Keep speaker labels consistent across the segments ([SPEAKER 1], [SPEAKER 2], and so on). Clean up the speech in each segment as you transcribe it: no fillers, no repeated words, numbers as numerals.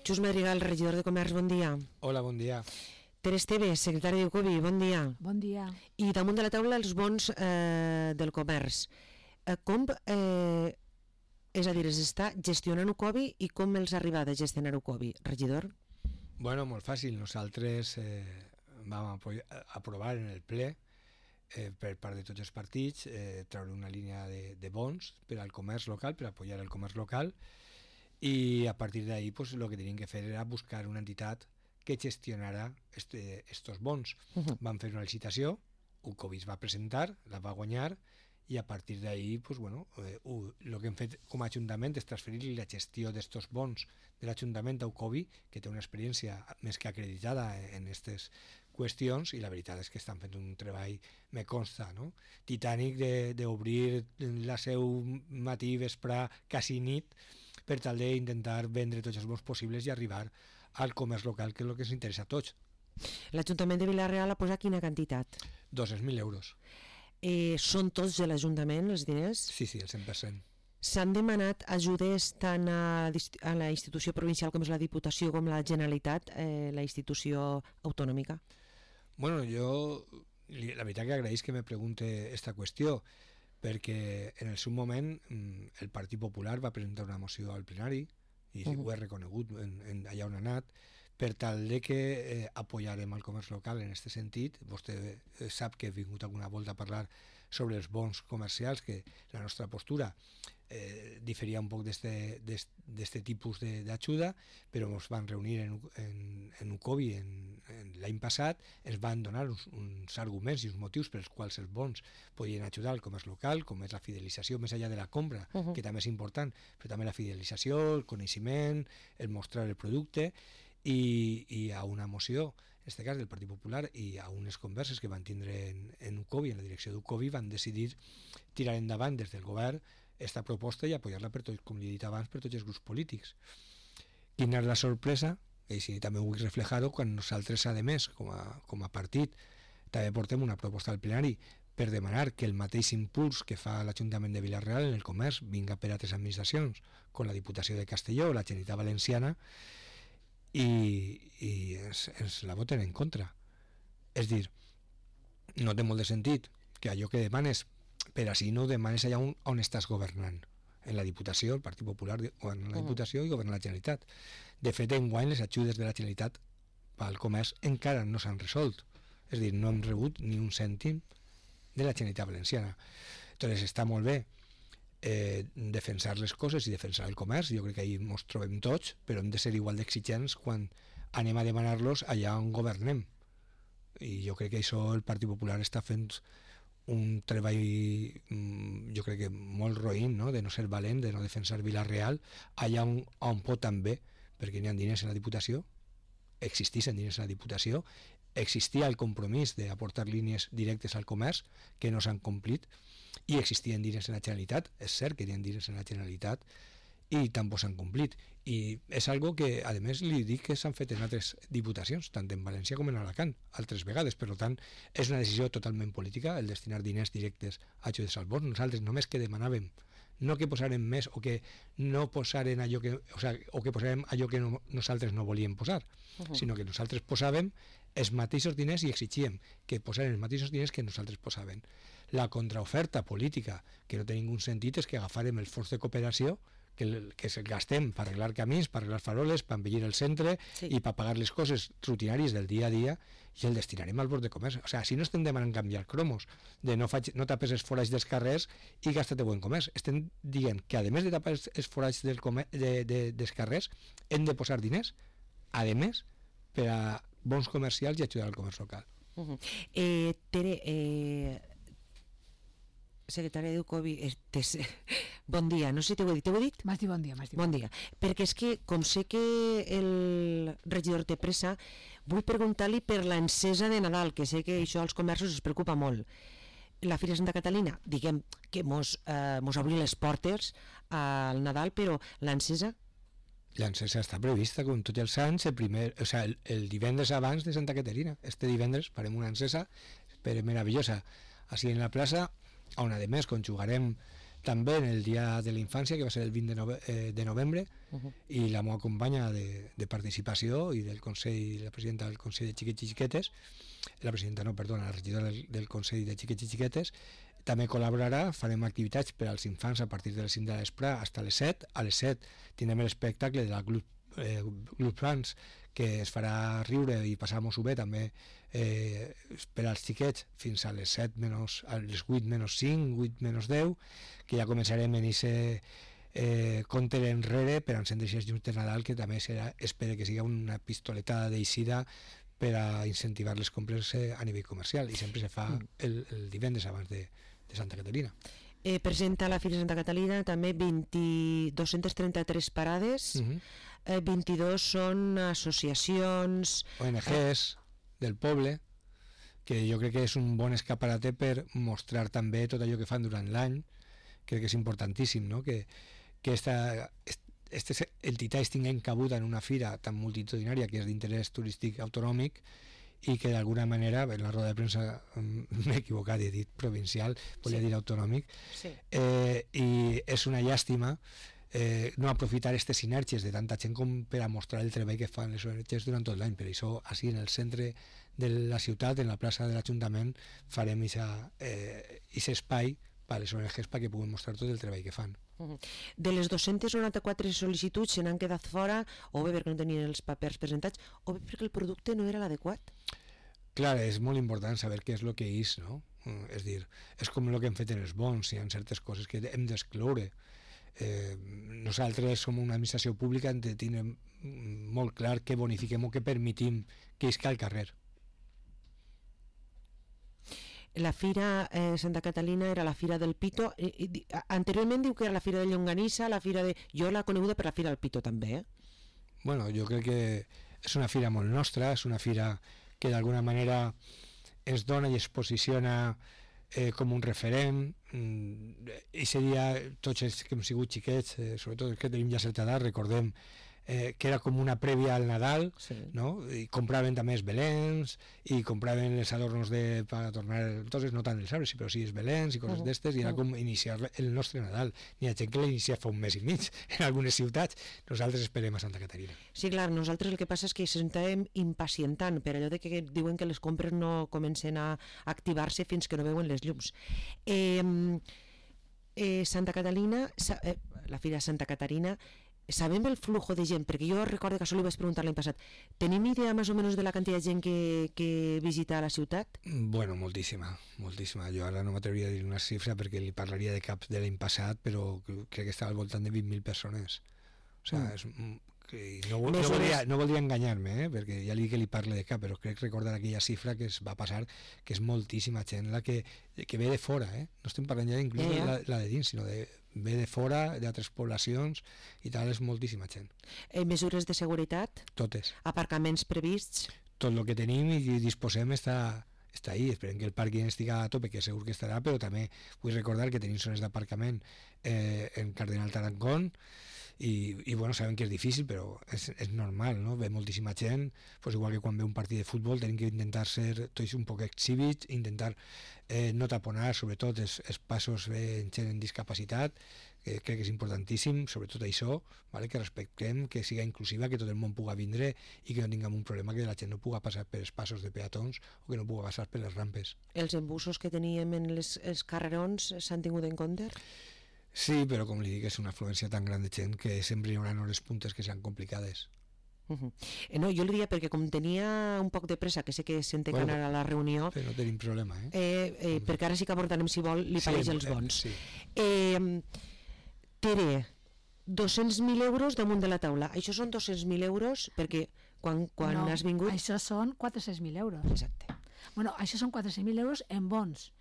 [SPEAKER 1] Xus Madrigal, regidor de Comerç, bon dia.
[SPEAKER 2] Hola, bon dia.
[SPEAKER 1] Ter Esteves, secretari d'Ucovi, bon dia.
[SPEAKER 3] Bon dia.
[SPEAKER 1] I damunt de la taula els bons del comerç. Com, és a dir, es està gestionant Ucovi i com els ha arribat a gestionar Ucovi, regidor?
[SPEAKER 2] Bueno, molt fàcil. Nosaltres vam aprovar en el ple per part de tots els partits treure una línia de bons per al comerç local, per apoyar el comerç local, i a partir d'ahí pues, lo que tenien que fer era buscar una entitat que gestionara estos bons. Van fer una licitació, Ucovi es va presentar, la va guanyar, i a partir d'ahí pues, bueno, el que hem fet com a Ajuntament és transferir la gestió d'estos bons de l'Ajuntament a Ucovi, que té una experiència més que acreditada en aquestes qüestions, i la veritat és que estan fent un treball, me consta, no? Titànic d'obrir la seu matí, vespre, quasi nit, per tal d'intentar vendre tots els bons possibles i arribar al comerç local, que és el que ens interessa a tots.
[SPEAKER 1] L'Ajuntament de Vila-real ha posat quina quantitat?
[SPEAKER 2] 200.000 euros.
[SPEAKER 1] Són tots de l'Ajuntament, els diners?
[SPEAKER 2] Sí, el 100%.
[SPEAKER 1] S'han demanat ajudes tant a la institució provincial com és la Diputació com la Generalitat, la institució autonòmica?
[SPEAKER 2] Bueno, jo la veritat que agraïs que me pregunte esta qüestió, perquè en el seu moment el Partit Popular va presentar una moció al plenari, i ho he reconegut allà on ha anat, per tal de que apoyarem el comerç local en aquest sentit. Vostè sap que he vingut alguna volta a parlar sobre els bons comercials, que la nostra postura diferia un poc d'este tipus d'ajuda, però ens van reunir en Ucovi l'any passat, ens van donar uns arguments i uns motius pels quals els bons podien ajudar al comerç local, com és la fidelització més enllà de la compra, que també és important, però també la fidelització, el coneixement, el mostrar el producte, i a una moció, en aquest cas del Partit Popular, i a unes converses que van tindre en Ucovi, en la direcció d'Ucovi, van decidir tirar endavant des del govern esta proposta i apoyar-la per tots, com li he dit abans, per tots els grups polítics. Quina és la sorpresa? I si també ho vull reflejar-ho, quan nosaltres, a més, com a partit, també portem una proposta al plenari per demanar que el mateix impuls que fa l'Ajuntament de Vila-real en el comerç vinga per a altres administracions, com la Diputació de Castelló o la Generalitat Valenciana, i ens la voten en contra. És dir, no té molt de sentit que allò que demanes, per així no ho demanes allà on estàs governant, en la Diputació, el Partit Popular governa la Diputació i governa la Generalitat. De fet, enguany les ajudes de la Generalitat pel comerç encara no s'han resolt, és dir, no hem rebut ni un cèntim de la Generalitat Valenciana. Entonces està molt bé defensar les coses i defensar el comerç, jo crec que ahí ens trobem tots, però hem de ser igual d'exigents quan anem a demanar-los allà on governem, i jo crec que això el Partit Popular està fent un treball, jo crec que molt roïn, no? De no ser valent, de no defensar Vila-real allà on pot també, perquè n'hi ha diners en la Diputació, existeixen diners en la Diputació, existia el compromís d'aportar línies directes al comerç que no s'han complit, i existien diners en la Generalitat, és cert que hi ha diners en la Generalitat i tampoc s'han complit, i és algo que a més li dic que s'han fet en altres diputacions, tant en València com en Alacant, altres vegades. Per tant, és una decisió totalment política el destinar diners directes a ajudes als bons. Nosaltres només que demanàvem no que posarem més o que no posaren allò que, o que posarem allò que nosaltres no volíem posar, sinó que nosaltres posàvem els mateixos diners i exigíem que posaren els mateixos diners que nosaltres posàvem. La contraoferta política, que no té ningú sentit, és que agafarem el fons de cooperació que se gastem per arreglar camins, per arreglar faroles, per embellir el centre i per pagar les coses rutinàries del dia a dia, i el destinarem al bord de comerç. O sigui, si no estem demanant canviar cromos, de no tapes els forats dels carrers i gasta-te-ho en comerç, estem dient que a més de tapar els forats dels carrers hem de posar diners, a més, per a bons comercials i ajudar al comerç local.
[SPEAKER 1] Tere, secretària d'Ucovi, bon dia, no sé si t'ho he dit?
[SPEAKER 3] M'has dit bon dia.
[SPEAKER 1] Bon dia, perquè és que com sé que el regidor té pressa, vull preguntar-li per l'encesa de Nadal, que sé que això als comerços es preocupa molt. La Fira Santa Catalina, diguem que mos obri les portes al Nadal, però l'encesa?
[SPEAKER 2] L'encesa està prevista com tots els anys, el divendres abans de Santa Caterina. Este divendres farem una encesa meravellosa així en la plaça, on a més conjugarem també en el dia de la infància, que va ser el 20 de novembre, i la meva companya de participació i del Consell, la presidenta del Consell de Xiquets i Xiquetes, la regidora del Consell de Xiquets i Xiquetes, també col·laborarà. Farem activitats per als infants a partir de les 5 de l'espre fins a les 7. A les 7 tindrem l'espectacle de la Club Plans, que es farà riure i passar-nos-ho bé també per als xiquets fins a les 7 menys, a les 8 menys 5, 8 menys 10, que ja començarem en aquest compte enrere per encendre aquests llums de Nadal, que també serà, espero que sigui una pistoletada d'eixida per a incentivar les compres a nivell comercial, i sempre se fa el divendres abans de Santa Caterina.
[SPEAKER 1] Presenta la Fira Santa Catalina també 233 parades, 22 són associacions,
[SPEAKER 2] ONGs del poble, que jo crec que és un bon escaparate per mostrar també tot allò que fan durant l'any. Crec que és importantíssim, no? que aquesta entitat es tinguin cabuda en una fira tan multitudinària que és d'interès turístic autonòmic, i que d'alguna manera, en la roda de premsa m'he equivocat, he dit provincial, volia dir autonòmic, i és una llàstima no aprofitar aquestes sinergies de tanta gent com per a mostrar el treball que fan les ONGs durant tot l'any. Per això, així en el centre de la ciutat, en la plaça de l'Ajuntament, farem aquest espai per a les ONGs perquè puguin mostrar tot el treball que fan.
[SPEAKER 1] De les 294 sol·licituds se n'han quedat fora, o bé perquè no tenien els papers presentats, o bé perquè el producte no era l'adequat.
[SPEAKER 2] Clar, és molt important saber què és el que és, no? És dir, és com el que hem fet en els bons, hi ha certes coses que hem d'excloure. Nosaltres som una administració pública, hem de tenir molt clar què bonifiquem o què permitim que isca al carrer.
[SPEAKER 1] La Fira Santa Catalina era la Fira del Pito. Anteriorment diu que era la Fira de Llonganissa, la Fira de... Jo l'he coneguda per la Fira del Pito també,
[SPEAKER 2] Bueno, jo crec que és una fira molt nostra, és una fira que d'alguna manera ens dona i es posiciona com un referent. I seria tots els que hem sigut xiquets, sobretot els que tenim ja certa edat, recordem que era com una prèvia al Nadal, no? I compraven també els belens i compraven els adornos per tornar, entonces no tant els arbres, però sí els belens i coses d'estes, i era com iniciar el nostre Nadal. N'hi ha gent que l'ha iniciat fa un mes i mig en algunes ciutats. Nosaltres esperem a Santa Caterina.
[SPEAKER 1] Sí, clar, nosaltres el que passa és que s'estem impacientant per allò de que diuen que les compres no comencen a activar-se fins que no veuen les llums. Santa Catalina, la Fira Santa Caterina, sabem el flujo de gent, perquè jo recordo que això li vaig preguntar l'any passat. Tenim idea més o menys de la quantitat de gent que visita la ciutat?
[SPEAKER 2] Bueno, moltíssima. Jo ara no m'atreviria a dir una xifra perquè li parlaria de caps de l'any passat, però crec que estava al voltant de 20.000 persones. O sigui, no voldria enganyar-me, perquè ja li dic que li parle de cap, però crec recordar aquella xifra que es va passar, que és moltíssima gent la que ve de fora, no estem parlant ja inclús la de dins, sinó ve de fora, d'altres poblacions i tal, és moltíssima gent.
[SPEAKER 1] Mesures de seguretat?
[SPEAKER 2] Totes.
[SPEAKER 1] Aparcaments prevists?
[SPEAKER 2] Tot el que tenim i disposem està ahí. Esperem que el pàrquing estigui a tope, que segur que estarà, però també vull recordar que tenim zones d'aparcament en Cardenal Tarancón, i bueno, sabem que és difícil, però és normal, no? Ve moltíssima gent, pues igual que quan ve un partit de futbol tenim que intentar ser tots un poc exhibits, intentar no taponar sobretot els passos en gent amb discapacitat, que crec que és importantíssim, sobretot això, vale? Que respectem, que siga inclusiva, que tot el món pugui vindre i que no tinguem un problema que la gent no pugui passar per els passos de peatons o que no pugui passar per les rampes.
[SPEAKER 1] Els embussos que teníem en els carrerons s'han tingut en compte?
[SPEAKER 2] Sí, però com li dic, és una afluència tan gran de gent que sempre hi haurà hores puntes que seran complicades.
[SPEAKER 1] No, jo li diria perquè com tenia un poc de pressa, que sé que se'n té que anar a la reunió,
[SPEAKER 2] però no tenim problema,
[SPEAKER 1] perquè ara sí que abordarem, si vol, li pareix els bons.
[SPEAKER 2] Sí.
[SPEAKER 1] Tere, 200.000 euros damunt de la taula. Això són 200.000 euros perquè quan has vingut...
[SPEAKER 3] No, això són 400.000 euros.
[SPEAKER 1] Exacte.
[SPEAKER 3] Bueno, això són 400.000 euros en bons.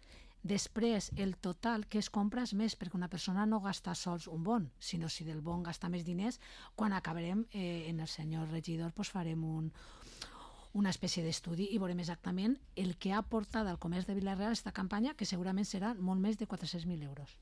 [SPEAKER 3] Després, el total que es compra és més, perquè una persona no gasta sols un bon, sinó si del bon gasta més diners, quan acabarem en el senyor regidor farem una espècie d'estudi i veurem exactament el que ha portat al comerç de Vila-real aquesta campanya, que segurament serà molt més de 400.000 euros.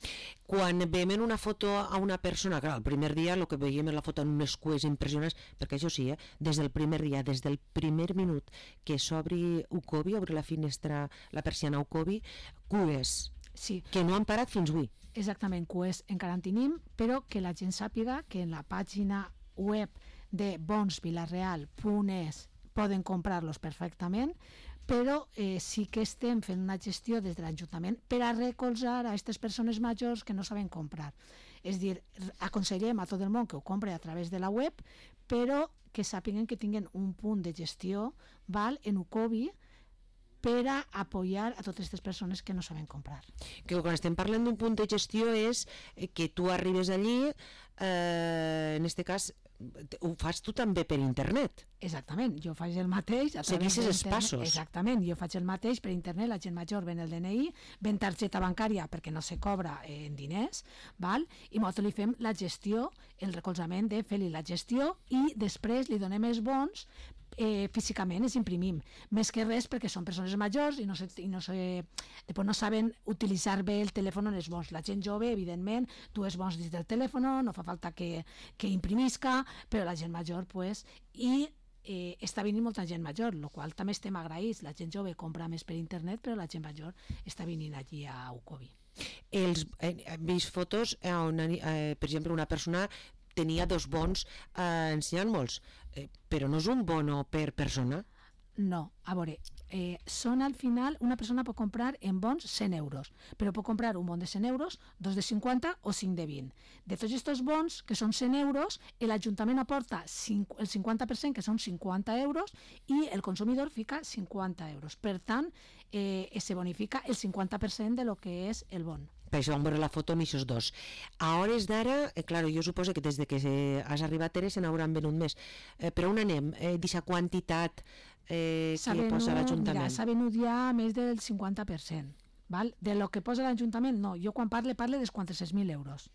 [SPEAKER 1] Quan veiem en una foto a una persona, clar, el primer dia el que veiem és la foto en unes cues impressionants, perquè això sí, des del primer dia, des del primer minut que s'obri Ucobi, obre la finestra, la persiana Ucobi, cues.
[SPEAKER 3] Sí.
[SPEAKER 1] Que no han parat fins avui.
[SPEAKER 3] Exactament, que encara en tenim, però que la gent sàpiga que en la pàgina web de bonsvilareal.es poden comprar-los perfectament, però sí que estem fent una gestió des de l'Ajuntament per a recolzar a aquestes persones majors que no saben comprar. És dir, aconsellem a tot el món que ho compre a través de la web, però que sàpiguen que tinguin un punt de gestió en Ucovi per a apoyar a totes aquestes persones que no saben comprar.
[SPEAKER 1] Que quan estem parlant d'un punt de gestió és que tu arribes allí, en aquest cas ho fas tu també per internet.
[SPEAKER 3] Exactament, jo faig el mateix.
[SPEAKER 1] Segueixes els passos.
[SPEAKER 3] Exactament, jo faig el mateix per internet, la gent major ven el DNI, ven targeta bancària perquè no se cobra en diners, val? I nosaltres li fem la gestió, el recolzament de fer-li la gestió i després li donem els bons físicament, els imprimim. Més que res perquè són persones majors i després no saben utilitzar bé el telèfon en els bons. La gent jove, evidentment, tu els bons dins del telèfon, no fa falta que imprimisca, però la gent major, pues, i està venint molta gent major, el qual també estem agraïts. La gent jove compra més per internet, però la gent major està venint allí a Ucovi.
[SPEAKER 1] He vist fotos on, per exemple, una persona tenia 2 bons ensenyant-me'ls, però no és un bono per persona?
[SPEAKER 3] No, a veure, són al final, una persona pot comprar en bons 100 euros, però pot comprar un bon de 100 euros, 2 de 50 o 5 de 20. De tots aquests bons, que són 100 euros, l'Ajuntament aporta el 50%, que són 50 euros, i el consumidor fica 50 euros. Per tant, se bonifica el 50% de lo que és el bon.
[SPEAKER 1] Per això vam veure la foto amb aquests 2. A hores d'ara, clar, jo suposo que des de que has arribat se n'hauran venut més. Però on anem? D'aquesta quantitat que posa l'Ajuntament?
[SPEAKER 3] Mira, s'ha venut ja més del 50%. Val? De lo que posa l'Ajuntament, no. Jo quan parle dels 400.000 euros.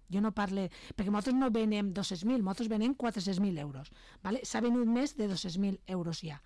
[SPEAKER 3] Jo no parle... Perquè nosaltres no venem 200.000, nosaltres venem 400.000 euros. Vale? S'ha venut més de 200.000 euros ja.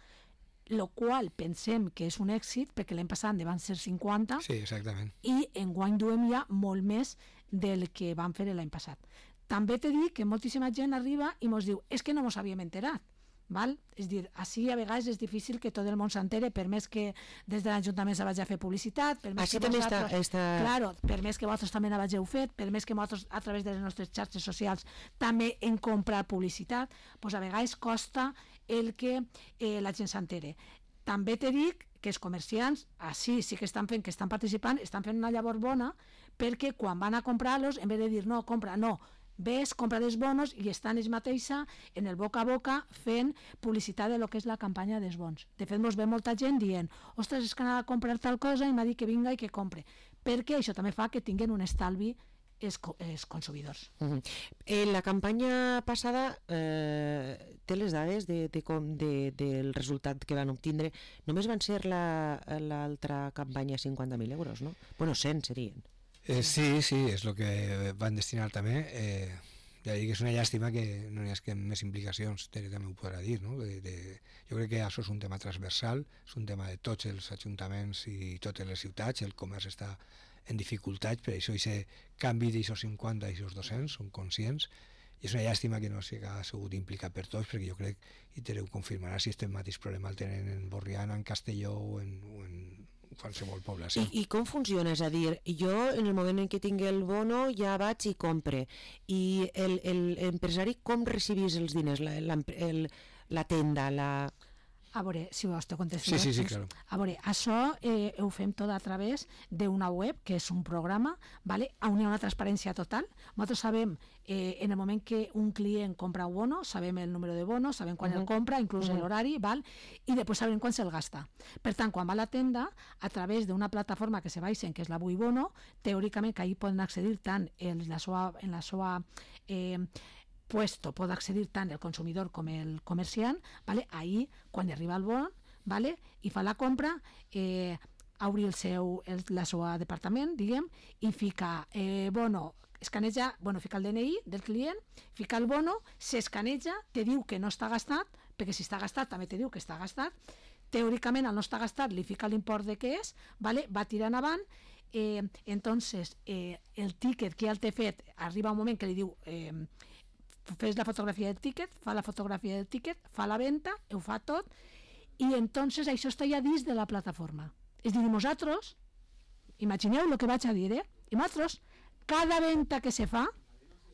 [SPEAKER 3] Lo qual pensem que és un èxit, perquè l'any passat van ser 50,
[SPEAKER 2] sí, exactament.
[SPEAKER 3] I enguany duem ja molt més del que vam fer l'any passat. També t'he dit que moltíssima gent arriba i ens diu, és que no ens havíem enterat. Val? És dir, així a vegades és difícil que tot el món s'entere, per més que des de l'Ajuntament se vagi a fer publicitat, per més
[SPEAKER 1] així
[SPEAKER 3] que
[SPEAKER 1] també
[SPEAKER 3] vosaltres,
[SPEAKER 1] està...
[SPEAKER 3] Claro, per més que vosaltres també n'hageu fet, per més que vosaltres a través de les nostres xarxes socials també en comprar publicitat, doncs a vegades costa el que la gent s'entere. També te dic que els comerciants així sí que estan fent, que estan participant, estan fent una llavor bona, perquè quan van a comprar-los, en vez de dir no, compra, no, ves, compra dels bonos, i estan ells mateixa en el boca a boca fent publicitat de lo que és la campanya dels bons. De fet, ens ve molta gent dient, ostres, és que anava a comprar tal cosa i m'ha dit que vinga i que compre, perquè això també fa que tinguin un estalvi els consumidors.
[SPEAKER 1] La campanya passada té les dades del resultat que van obtindre. Només van ser l'altra campanya 50.000 euros, no? Bueno, 100 serien.
[SPEAKER 2] Sí, és el que van destinar també. Ja dic que és una llàstima que no hi hagi més implicacions, també ho podrà dir, no? Jo crec que això és un tema transversal, és un tema de tots els ajuntaments i totes les ciutats. El comerç està en dificultats, per això aquest canvi d'aixòs 50 a d'aixòs 200, són conscients, i és una llàstima que no s'ha sigut implicat per tots, perquè jo crec, i Tereu confirmarà, si este mateix problema el tenen en Borriana, en Castelló o en qualsevol població.
[SPEAKER 1] I com funciona? És a dir, jo en el moment en què tinc el bono ja vaig i compre, i l'empresari com recibís els diners? La tenda,
[SPEAKER 3] A veure, si vols te contesto.
[SPEAKER 2] Sí, claro.
[SPEAKER 3] A veure, això ho fem tot a través d'una web, que és un programa, ¿vale? On hi ha una transparència total. Nosaltres sabem, en el moment que un client compra un bono, sabem el número de bono, sabem quan el compra, inclús l'horari, val? I després sabem quan se'l gasta. Per tant, quan va a la tenda, a través d'una plataforma que se baixen, que és la Bui Bono, teòricament que ahí poden accedir tant en la seva puesto pot accedir tant el consumidor com el comerciant, ¿vale? Ahí, quan arriba el bon, ¿vale? I fa la compra, obri la seva departament, diguem, i fica bono, escaneja, fica el DNI del client, fica el bono, s'escaneja, te diu que no està gastat, perquè si està gastat també te diu que està gastat, teòricament al no estar gastat li fica l'import de què és, ¿vale? Va tirant avant, entonces el ticket que ja el té fet, arriba un moment que li diu fes la fotografia del ticket, fa la fotografia del ticket, fa la venda, ho fa tot, i entonces això està ja dins de la plataforma. És dir, nosaltres imagineu el que vaig a dir, i nosaltres, cada venda que se fa,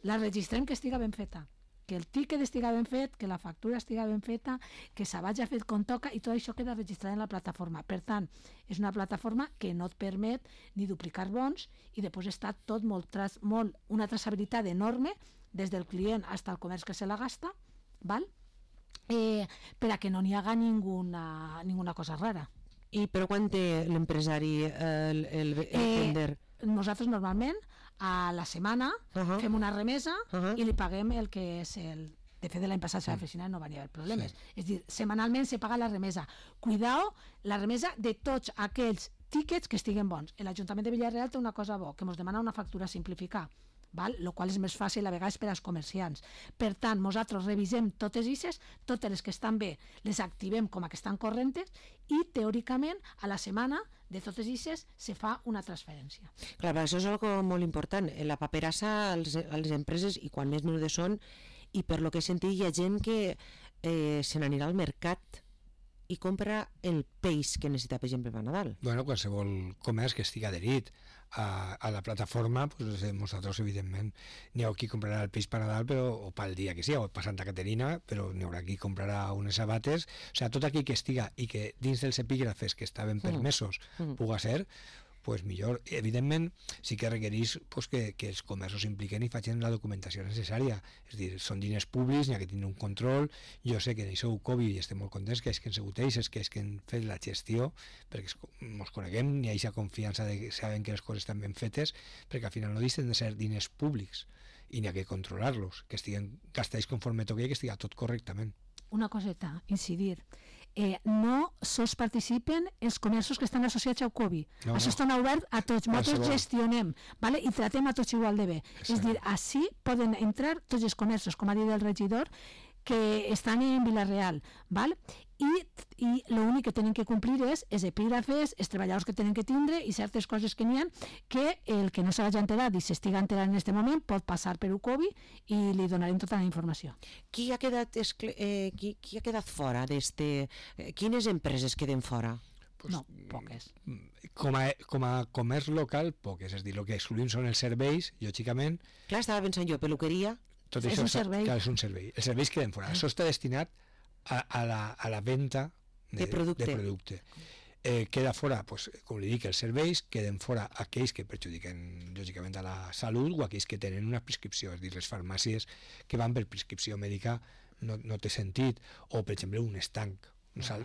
[SPEAKER 3] la registrem que estiga ben feta, que el tiquet estiga ben fet, que la factura estiga ben feta, que se vagi fet com toca, i tot això queda registrat en la plataforma. Per tant, és una plataforma que no et permet ni duplicar bons, i després està tot una traçabilitat enorme, des del client fins al comerç que se la gasta, val? Per a que no n'hi haga ninguna cosa rara.
[SPEAKER 1] I però quan té l'empresari el vender?
[SPEAKER 3] Nosaltres normalment a la setmana fem una remesa i li paguem el que és el... De fet, de l'any passat a l'oficina no van haver problemes. És dir, setmanalment se paga la remesa. Cuidao, la remesa de tots aquells tíquets que estiguen bons. L'Ajuntament de Villarreal té una cosa bo, que ens demana una factura simplificada, el qual és més fàcil a vegades per als comerciants. Per tant, nosaltres revisem totes les que estan bé, les activem com a que estan correntes, i teòricament a la setmana de totes ixes se fa una transferència.
[SPEAKER 1] Clar, això és algo molt important. La paperassa a les empreses, i quan més menudes són, i per lo que he sentit hi ha gent que se n'anirà al mercat i compra el peix que necessita, per exemple, per Nadal.
[SPEAKER 2] Bueno, qualsevol comerç que estigui adherit a la plataforma, pues, nosaltres, evidentment, n'hi ha qui comprarà el peix per Nadal, o pel dia que sigui, o per Santa Caterina, però n'hi haurà qui comprarà unes sabates. O sigui, tot aquell que estiga i que dins dels epígrafes que estaven permesos puga ser, pues millor. Evidentment, sí que requereix pues, que els comerços s'impliquen i facin la documentació necessària. És a dir, són diners públics, n'hi ha que tenir un control. Jo sé que en això Covid i estem molt contents que és que han sigut ells, que és que han fet la gestió, perquè ens coneguem, n'hi ha aquesta confiança de que saben que les coses estan ben fetes, perquè al final no deixen de ser diners públics i n'hi ha que controlar-los, que estiguen gastats conforme toqui i que estigui tot correctament.
[SPEAKER 3] Una coseta, incidir. No sols participen els comerços que estan associats al Covid.
[SPEAKER 2] No,
[SPEAKER 3] això està obert a tots. Nosaltres gestionem, vale? I tratem a tots igual de bé.
[SPEAKER 2] Exacte.
[SPEAKER 3] És dir, així poden entrar tots els comerços, com ha dit el regidor, que estan en Vila-real, val? I l'únic que tenen que complir és els epígrafes, els treballadors que tenen que tindre i certes coses que n'hi ha, que el que no s'hagi enterat i s'estiga enterant en aquest moment pot passar per UCOBI i li donarem tota la informació.
[SPEAKER 1] Qui ha quedat fora d'este? Quines empreses queden fora?
[SPEAKER 2] Pues,
[SPEAKER 3] No, poques.
[SPEAKER 2] Com a comerç local, poques. És a dir, el que excluïm són els serveis, lògicament.
[SPEAKER 1] Clar, estava pensant jo, peluqueria.
[SPEAKER 2] Tot
[SPEAKER 3] És
[SPEAKER 2] això
[SPEAKER 3] un servei.
[SPEAKER 2] és un servei. Els serveis queden fora. Això està destinat a la venda
[SPEAKER 1] de producte.
[SPEAKER 2] Queda fora, pues, com li dic, els serveis, queden fora aquells que perjudiquen lògicament a la salut o aquells que tenen una prescripció, és a dir, les farmàcies que van per prescripció mèdica no té sentit, o per exemple un estanc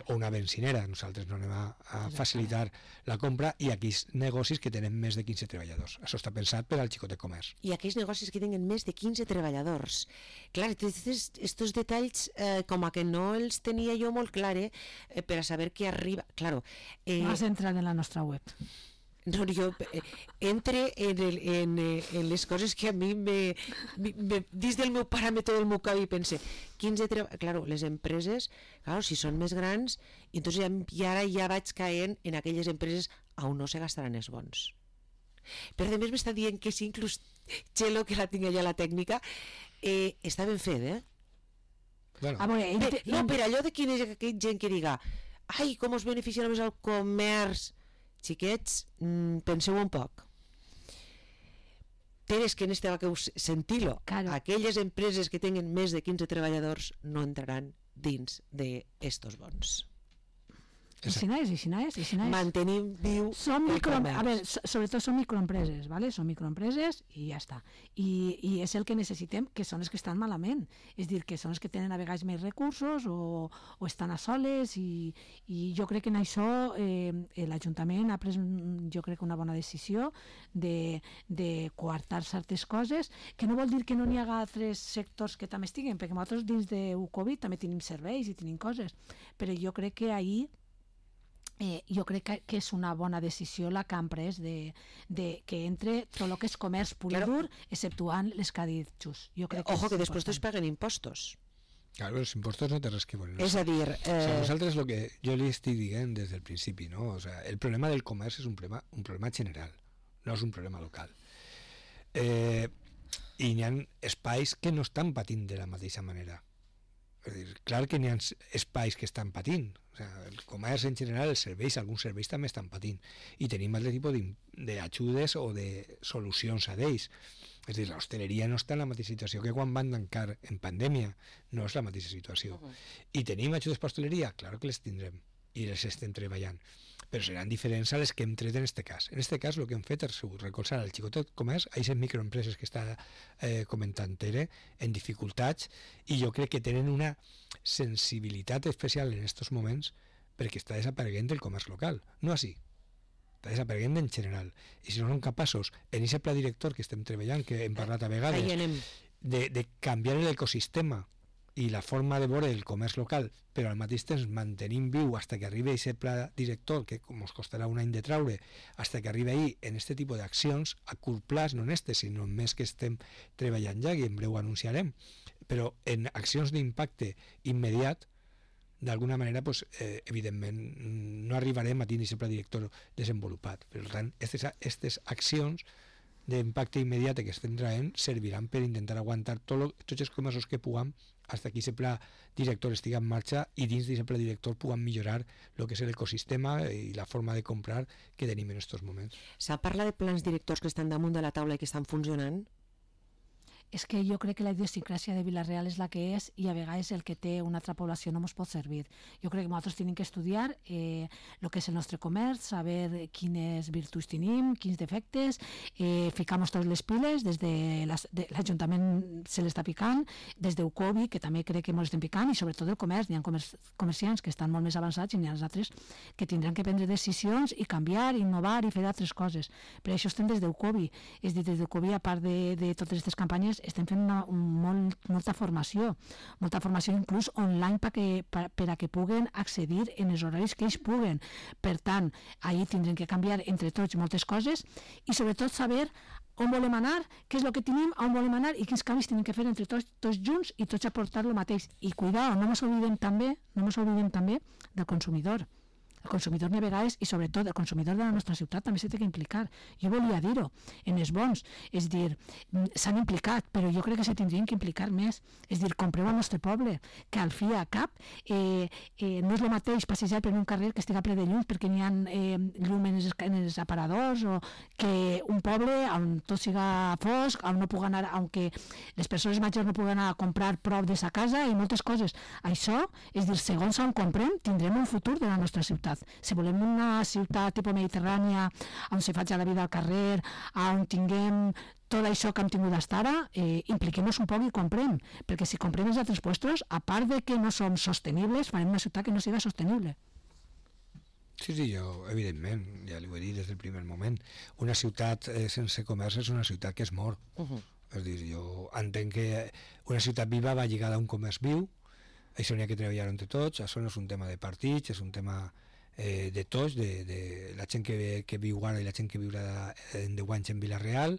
[SPEAKER 2] o una benzinera, nosaltres no anem a facilitar la compra, i aquells negocis que tenen més de 15 treballadors. Això està pensat per al xicot de comerç.
[SPEAKER 1] I aquells negocis que tenen més de 15 treballadors. Clar, estos detalls com a que no els tenia jo molt clar per a saber què arriba. Claro,
[SPEAKER 3] No has entrat en la nostra web.
[SPEAKER 1] no, jo entre en les coses que a mi dins del meu paràmetre del meu cap i pense 15 claro, les empreses, claro, si són més grans, entonces ara ja vaig caent en aquelles empreses on no se gastaran els bons. Però a més m'està dient que sí, inclús Txelo, que la tinc allà a la tècnica, està ben fet,
[SPEAKER 2] Bueno,
[SPEAKER 3] A veure,
[SPEAKER 1] no, per allò de quina gent que diga ai, com us beneficiarà més el comerç. Xiquets, penseu un poc. Tens que en este va que sentir-lo.
[SPEAKER 3] Claro.
[SPEAKER 1] Aquelles empreses que tenen més de 15 treballadors no entraran dins d'estos bons.
[SPEAKER 3] I si no és.
[SPEAKER 1] Mantenim viu
[SPEAKER 3] Són
[SPEAKER 1] el comerç.
[SPEAKER 3] a veure, sobretot són microempreses, ¿vale? Són microempreses i ja està. I és el que necessitem, que són els que estan malament. És dir, que són els que tenen a vegades més recursos o estan a soles, i jo crec que en això l'Ajuntament ha pres, jo crec, una bona decisió de coartar certes coses, que no vol dir que no n'hi haga altres sectors que també estiguen, perquè nosaltres dins de Covid també tenim serveis i tenim coses, però jo crec que ahir jo crec que és una bona decisió la que han pres de que entre tot el que és comerç pur i dur, exceptuant les que ha dit Xus.
[SPEAKER 1] Ojo, que després tots paguen impostos.
[SPEAKER 2] Claro, els impostos no té res que veure.
[SPEAKER 1] És a dir...
[SPEAKER 2] O sea, nosaltres el que jo li estic dient des del principi, no? O sea, el problema del comerç és un problema general, no és un problema local. I hi ha espais que no estan patint de la mateixa manera. És a dir, clar que n'hi ha espais que estan patint. O sigui, el comerç en general, els serveis, alguns serveis també estan patint. I tenim altre tipus d'ajudes o de solucions a d'ells. És a dir, l'hostaleria no està en la mateixa situació que quan van tancar en pandèmia. No és la mateixa situació. I tenim ajudes per hostaleria? Clar que les tindrem. I les estem treballant. Però seran diferents a les que hem tret en aquest cas. En aquest cas, el que hem fet és recolzar el xicotet comerç, a aquestes microempreses que està comentant Tere, en dificultats, i jo crec que tenen una sensibilitat especial en aquests moments perquè està desapareguent el comerç local. No així. Està desapareguent en general. I si no som capaços, en aquest pla director que estem treballant, que hem parlat a vegades, de canviar l'ecosistema i la forma de veure el comerç local, però al mateix temps mantenim viu fins que arribi aquest pla director, que com ens costarà un any de traure, fins que arribi ahir en aquest tipus d'accions, a curt plaç, no en sinó en més que estem treballant ja, i en breu anunciarem, però en accions d'impacte immediat, d'alguna manera, pues, evidentment, no arribarem a tenir aquest pla director desenvolupat. Per tant, aquestes accions d'impacte immediat que estem traient serviran per intentar aguantar tots els comerços que puguem fins que aquest pla director estigui en marxa i dins d'aquest pla director puguem millorar el que és l'ecosistema i la forma de comprar que tenim en aquests moments.
[SPEAKER 1] S'ha parlat de plans directors que estan damunt de la taula i que estan funcionant?
[SPEAKER 3] És que jo crec que la idiosincràsia de Vila-real és la que és i a vegades el que té una altra població no ens pot servir. Jo crec que nosaltres tenim que estudiar el que és el nostre comerç, saber quines virtuts tenim, quins defectes, ficar-nos tots les piles, des de l'Ajuntament se l'està picant, des d'Eucovi, que també crec que ens estem picant, i sobretot el comerç. N'hi ha comerciants que estan molt més avançats i n'hi ha els altres que tindran que prendre decisions i canviar, innovar i fer altres coses. Per això estem des d'Eucovi. És dir, des d'Eucovi, a part de totes aquestes campanyes, estem fent molta formació inclús online per a que puguen accedir en els horaris que ells puguen. Per tant, ahir tindrem que canviar entre tots moltes coses i sobretot saber on volem anar, què és el que tenim, on volem anar i quins canvis tenim que fer entre tots junts i tots aportar el mateix. I cuidado, no ens oblidem també del consumidor. El consumidor a vegades, i sobretot el consumidor de la nostra ciutat, també s'ha d'implicar. Jo volia dir-ho, en els bons. És dir, s'han implicat, però jo crec que se tindrien que implicar més. És dir, compreu al nostre poble, que al fi a cap no és el mateix passejar per un carrer que estiga ple de llum perquè n'hi ha llum en els aparadors, o que un poble on tot siga fosc, on no pugui anar, on que les persones majors no puguen anar a comprar prop de sa casa i moltes coses. Això, és dir, segons on comprem, tindrem un futur de la nostra ciutat. Si volem una ciutat tipus mediterrània on se faci la vida al carrer, on tinguem tot això que hem tingut fins ara, impliquem-nos un poc i comprem, perquè si comprem els altres puestos, a part de que no som sostenibles, farem una ciutat que no siga sostenible.
[SPEAKER 2] Sí, jo, evidentment, ja li ho he dit des del primer moment, una ciutat sense comerç és una ciutat que es mor. És dir, jo entenc que una ciutat viva va lligada a un comerç viu, això n'hi ha que treballar entre tots, això no és un tema de partits, és un tema de tots, de la gent que viu ara i la gent que viurà en 10 anys en Vila-real,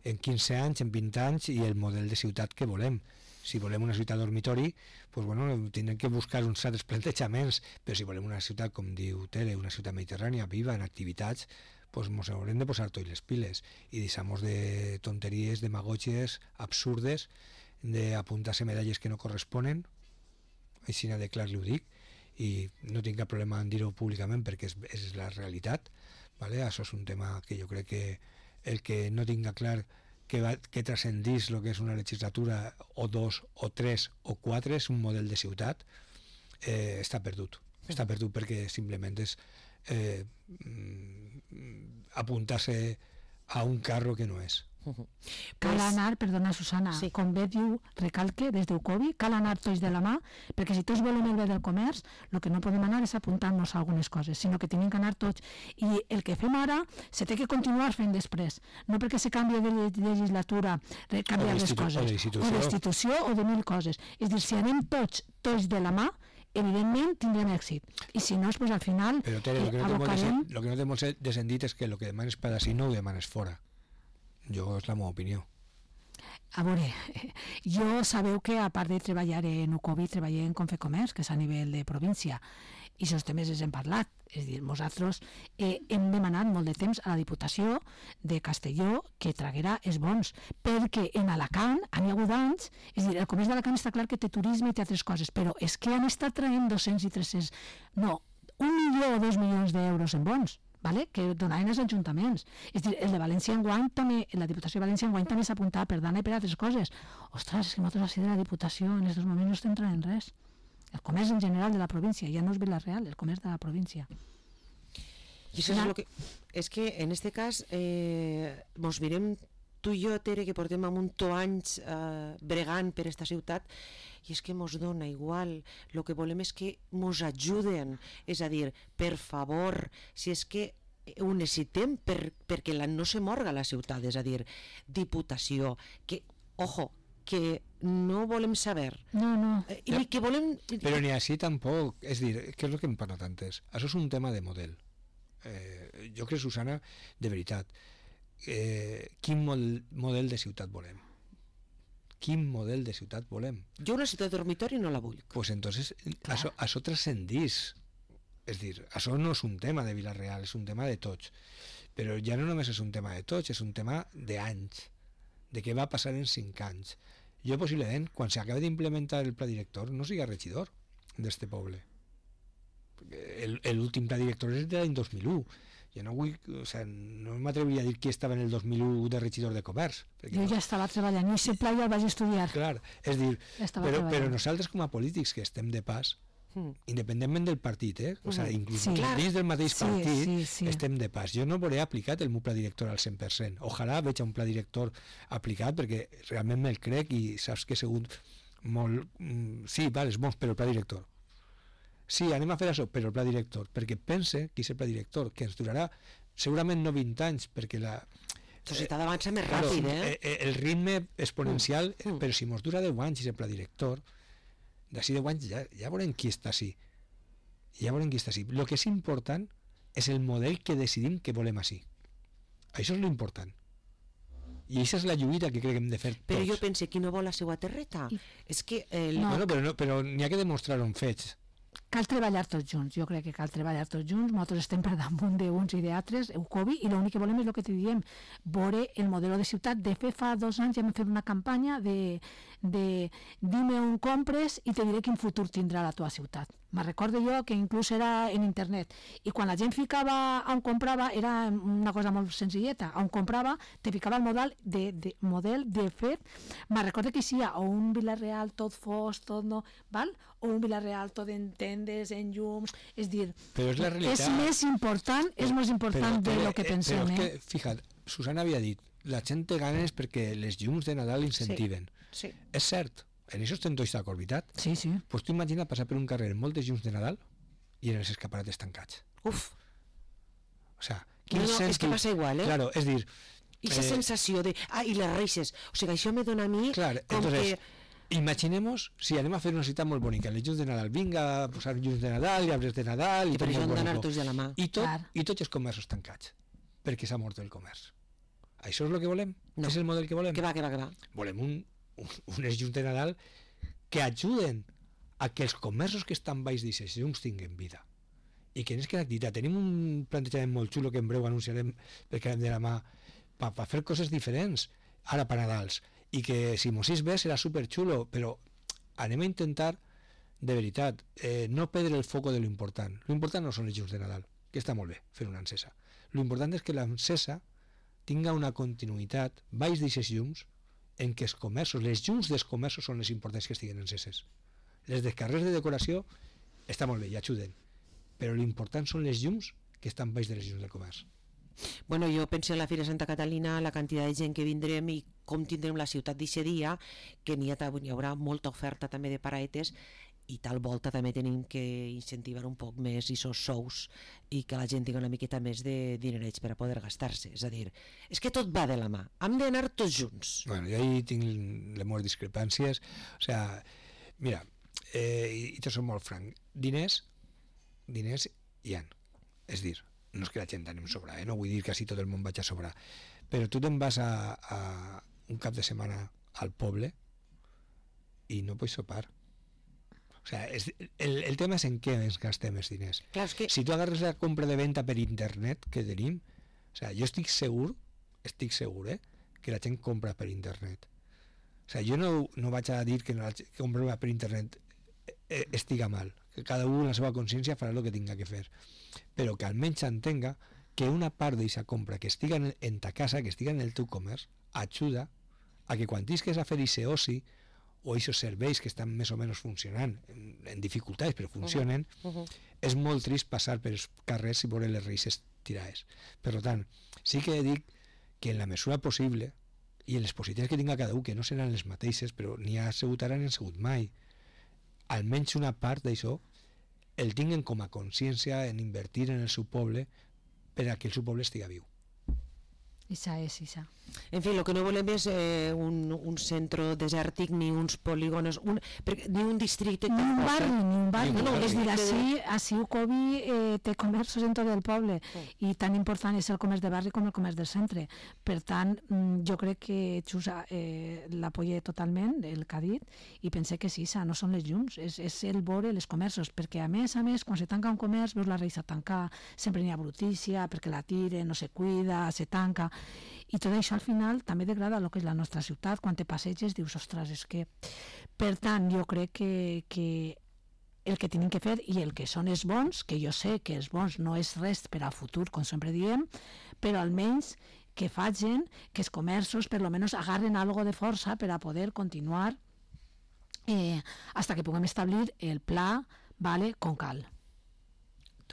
[SPEAKER 2] en 15 anys, en 20 anys, i el model de ciutat que volem. Si volem una ciutat dormitori, doncs, bueno, tindrem que buscar uns altres plantejaments, però si volem una ciutat, com diu Tere, una ciutat mediterrània, viva, en activitats, doncs ens haurem de posar tots les piles i deixar-nos de tonteries, demagògies absurdes, d'apuntar-se medalles que no corresponen, així de clar li ho dic, i no tinc cap problema en dir-ho públicament perquè és la realitat, ¿vale? Això és un tema que jo crec que el que no tinga clar que transcendís el que és una legislatura o 2 o 3 o 4 és un model de ciutat, està perdut perquè simplement és apuntar-se a un carro que no és.
[SPEAKER 3] Cal anar, perdona Susana, sí. Com bé diu, recalque des d'Eucovi, cal anar tots de la mà, perquè si tots volem el bé del comerç, el que no podem anar és apuntar-nos a algunes coses, sinó que tenim que anar tots. I el que fem ara se té que continuar fent després, no perquè se canvia de legislatura, canviar les coses, o d'institució o de mil coses. És dir, si anem tots de la mà, evidentment tindrem èxit. I si no, doncs al final
[SPEAKER 2] però Tere, el que no té molt de sentit és que el que demanes per ací no ho demanes fora. Jo és la meva opinió.
[SPEAKER 3] A veure, jo sabeu que a part de treballar en UCOBI treballé en Confecomerç, que és a nivell de província, i aquests temes els hem parlat. És a dir, nosaltres hem demanat molt de temps a la Diputació de Castelló que traguera els bons, perquè en Alacant han hagut anys, és a dir, el comerç d'Alacant està clar que té turisme i té altres coses, però és que han estat traient 200 i 300, no, 1 milió o 2 milions d'euros en bons, vale? Que donaven els ajuntaments. És a dir, el de València enguany també, la Diputació de València enguany també s'apuntava per Dana i per altres coses. Ostres, és que nosaltres així de la Diputació en aquests moments no estem traient res. El comerç en general de la província, ja no és Vila-real, el comerç de la província.
[SPEAKER 1] I això és lo que... És que en este cas mos mirem tu i jo, Tere, que portem un munt anys bregant per esta ciutat, i és que mos dona igual, el que volem és que mos ajuden, és a dir, per favor, si és que ho necessitem perquè no se morga la ciutat, és a dir, Diputació, que, ojo, que no volem saber.
[SPEAKER 3] No.
[SPEAKER 1] I que volem...
[SPEAKER 2] Però ni així tampoc, és dir, què és el que hem parlat antes? Això és un tema de model. Jo crec, Susana, de veritat, quin model de ciutat volem? Quin model de ciutat volem?
[SPEAKER 1] Jo una ciutat dormitori no la vull.
[SPEAKER 2] Pues entonces això transcendís. És dir, això no és un tema de Vila-real, és un tema de tots. Però ja no només és un tema de tots, és un tema d'anys, de què va passar en 5 anys. Jo possiblement, quan s'acabi d'implementar el pla director, no siga regidor d'este poble. L'últim pla director és de l'any 2001. Jo no vull, no m'atreviria a dir qui estava en el 2001 de regidor de comerç.
[SPEAKER 3] Jo ja estava treballant, i aquest pla ja el vaig estudiar.
[SPEAKER 2] Clar, és dir, però nosaltres com a polítics que estem de pas, independentment del partit, inclús dins del mateix partit, estem de pas. Jo no veuré aplicat el meu pla director al 100%. Ojalà veig un pla director aplicat, perquè realment me'l crec i saps que he sigut molt... Sí, val, és bons, però el pla director. Sí, anem a fer això, però el pla director, perquè pense que és el pla director, que ens durarà segurament no 20 anys, perquè la
[SPEAKER 1] societat avança més ràpid,
[SPEAKER 2] el ritme exponencial, però si ens dura 10 anys és el pla director, d'ací 10 anys ja veurem qui està així. Ja veurem qui està així. El que és important és el model que decidim que volem així. Això és l'important. I aquesta és la lluita que crec que hem de fer tots.
[SPEAKER 1] Però jo pense, qui no vol la seva terreta? És que...
[SPEAKER 2] Però n'hi ha que demostrar-ho en fets.
[SPEAKER 3] Cal treballar tots junts, jo crec que cal treballar tots junts, nosaltres estem per damunt d'uns i d'altres, UCOBI, i l'únic que volem és el que te diem, veure el model de ciutat. De fet, fa 2 anys ja hem fet una campanya de dime on compres i te diré quin futur tindrà la teva ciutat. Me recordo jo que inclús era en internet, i quan la gent ficava on comprava era una cosa molt senzilleta, on comprava te ficava el model de fet, me recordo que hi ha o un Vila-real tot fos, tot no, val? O un Vila-real tot en tendes, en llums, és dir, és més important de lo que pensem.
[SPEAKER 2] Però és que, fija't, Susana havia dit, la gent té ganes perquè les llums de Nadal incentiven.
[SPEAKER 1] Sí.
[SPEAKER 2] És cert, en això estem tots d'acord, veritat?
[SPEAKER 3] Sí.
[SPEAKER 2] Pues tu imagina passar per un carrer amb moltes llums de Nadal i en els escaparates tancats.
[SPEAKER 1] Uf.
[SPEAKER 2] O sea,
[SPEAKER 1] és que passa igual,
[SPEAKER 2] Claro, és dir...
[SPEAKER 1] I la sensació de... i les reixes. O sigui, això me dona a mi
[SPEAKER 2] entonces, imaginemos si anem a fer una ciutat molt bonica, les llums de Nadal, vinga a posar llums de Nadal, arbres de Nadal...
[SPEAKER 1] I per això han d'anar tots de la mà.
[SPEAKER 2] I tots els comerços tancats, perquè s'ha mort el comerç. Això és el que volem?
[SPEAKER 1] No.
[SPEAKER 2] És el model que volem?
[SPEAKER 1] Que va.
[SPEAKER 2] Volem unes llums de Nadal que ajuden a que els comerços que estan baix d'aquestes llums tinguin vida i que n'és que l'activitat. Tenim un plantejament molt xulo que en breu anunciarem perquè anem de la mà per fer coses diferents ara per Nadals, i que si mos és bé serà superxulo, però anem a intentar de veritat no perdre el foco de l'important. L'important no són les llums de Nadal, que està molt bé fer una encesa. L'important és que l'encesa tinga una continuïtat baix d'aquestes llums en què els comerços, les llums dels comerços són les importants que estiguen enceses. Les dels carrers de decoració està molt bé, i ajuden, però l'important són les llums que estan baix de les llums del comerç.
[SPEAKER 1] Bueno, jo penso en la Fira Santa Catalina, la quantitat de gent que vindrem i com tindrem la ciutat d'aquest dia, que n'hi haurà molta oferta també de paraetes, i tal volta també tenim que incentivar un poc més aquests sous i que la gent tingui una miqueta més de dinerets per a poder gastar-se. És a dir, és que tot va de la mà, hem d'anar tots junts.
[SPEAKER 2] Bueno, jo ahí tinc les meves discrepàncies. O sea, mira, i te soc molt franc, diners hi ha. És dir, no és que la gent anem a sobrar, no vull dir que així tot el món vaig a sobrar, però tu te'n vas a un cap de setmana al poble i no pots sopar. O sea, el tema és en què ens gastem els diners.
[SPEAKER 1] Clar, és que...
[SPEAKER 2] Si tu agarres la compra de venda per internet que tenim, o sea, jo estic segur, que la gent compra per internet. O sea, jo no vaig a dir que la compra per internet estiga mal, que cada un en la seva consciència farà el que tinga que fer, però que almenys entenga que una part d'aquesta compra que estiga en ta casa, que estiga en el teu comerç, ajuda a que quan tisques a fer aquest oci o aquests serveis que estan més o menys funcionant en dificultats però funcionen, és molt trist passar per els carrers i veure les reixes tirades. Per tant, sí que dic que en la mesura possible i en les possibilitats que tinga cada un, que no seran les mateixes, però ni ha sigut ara ni han sigut mai, almenys una part d'això el tinguen com a consciència en invertir en el seu poble per a que el seu poble estigui viu.
[SPEAKER 3] Isa és, Isa.
[SPEAKER 1] En fi, el que no volem és un centre desèrtic ni uns polígonos, ni un districte...
[SPEAKER 3] Ni un barri.
[SPEAKER 2] Ni un barri.
[SPEAKER 3] És dir, així Ucovi té comerços en tot el poble i tan important és el comerç de barri com el comerç del centre. Per tant, jo crec que Xusa l'apoya totalment, el que ha dit, i pense que sí, Isa, no són les llums, és el veure els comerços, perquè a més, quan se tanca un comerç, veus la reixa tancar, sempre n'hi ha brutícia, perquè la tiren, no se cuida, se tanca, i tot això al final també degrada el que és la nostra ciutat. Quan te passeges dius, ostres, és que... Per tant, jo crec que el que tenim que fer i el que són els bons, que jo sé que els bons no és res per al futur, com sempre diem, però almenys que facin que els comerços per lo menos agarren algo de força per a poder continuar hasta que puguem establir el pla, vale, com cal.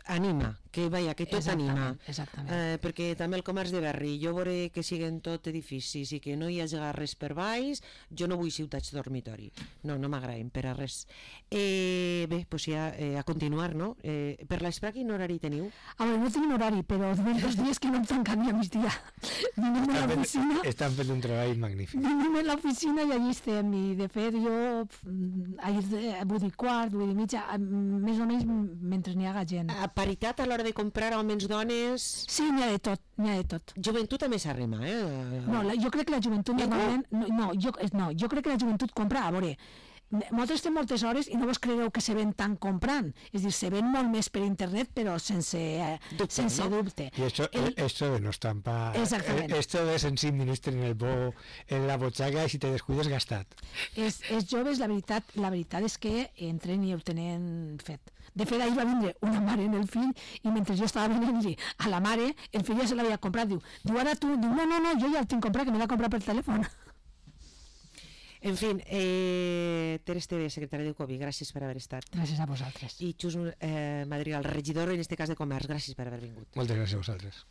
[SPEAKER 1] Anima, que tot anima.
[SPEAKER 3] Exactament.
[SPEAKER 1] Perquè també el comerç de barri, jo veuré que siguen tot edificis i que no hi hagi res per baix, jo no vull ciutats dormitori. No m'agraden per a res. Bé, doncs ja a continuar, no? Per l'Espra quin horari teniu?
[SPEAKER 3] A veure, no tenim horari, però durant 2 dies que no em tanquen ni a migdia. Vinem a l'oficina...
[SPEAKER 2] Estan fent un treball magnífic.
[SPEAKER 3] Vinem a l'oficina i allí estem, i de fet jo ahir vull dir quart, vull dir mitja, més o menys mentre n'hi haga gent.
[SPEAKER 1] A paritat a l'hora de comprar homes, dones...
[SPEAKER 3] Sí, n'hi ha de tot.
[SPEAKER 1] Joventut també s'arrima,
[SPEAKER 3] No, jo crec que la joventut normalment... Jo crec que la joventut compra, a veure... Nosaltres estem moltes hores i no vos creureu que se ven tant comprant. És dir, se ven molt més per internet, però sense dubte.
[SPEAKER 2] Y esto de no estampa...
[SPEAKER 3] Exactament.
[SPEAKER 2] Esto de sense ministre en la botxaca i si te descuides gastat.
[SPEAKER 3] Els joves, la veritat és que entren i ho tenen fet. De fet, ahir va vindre una mare en el fill i mentre jo estava venint-li a la mare, el fill ja se l'havia comprat. Diu, ara tu, no, jo ja el tinc comprat, que me l'ha comprat per telèfon.
[SPEAKER 1] En fi, Ter Esteve, secretari d'Ucovi, gràcies per haver estat.
[SPEAKER 3] Gràcies a vosaltres.
[SPEAKER 1] I Xus Madrigal, regidor, en este cas de Comerç, gràcies per haver vingut.
[SPEAKER 2] Moltes gràcies a vosaltres.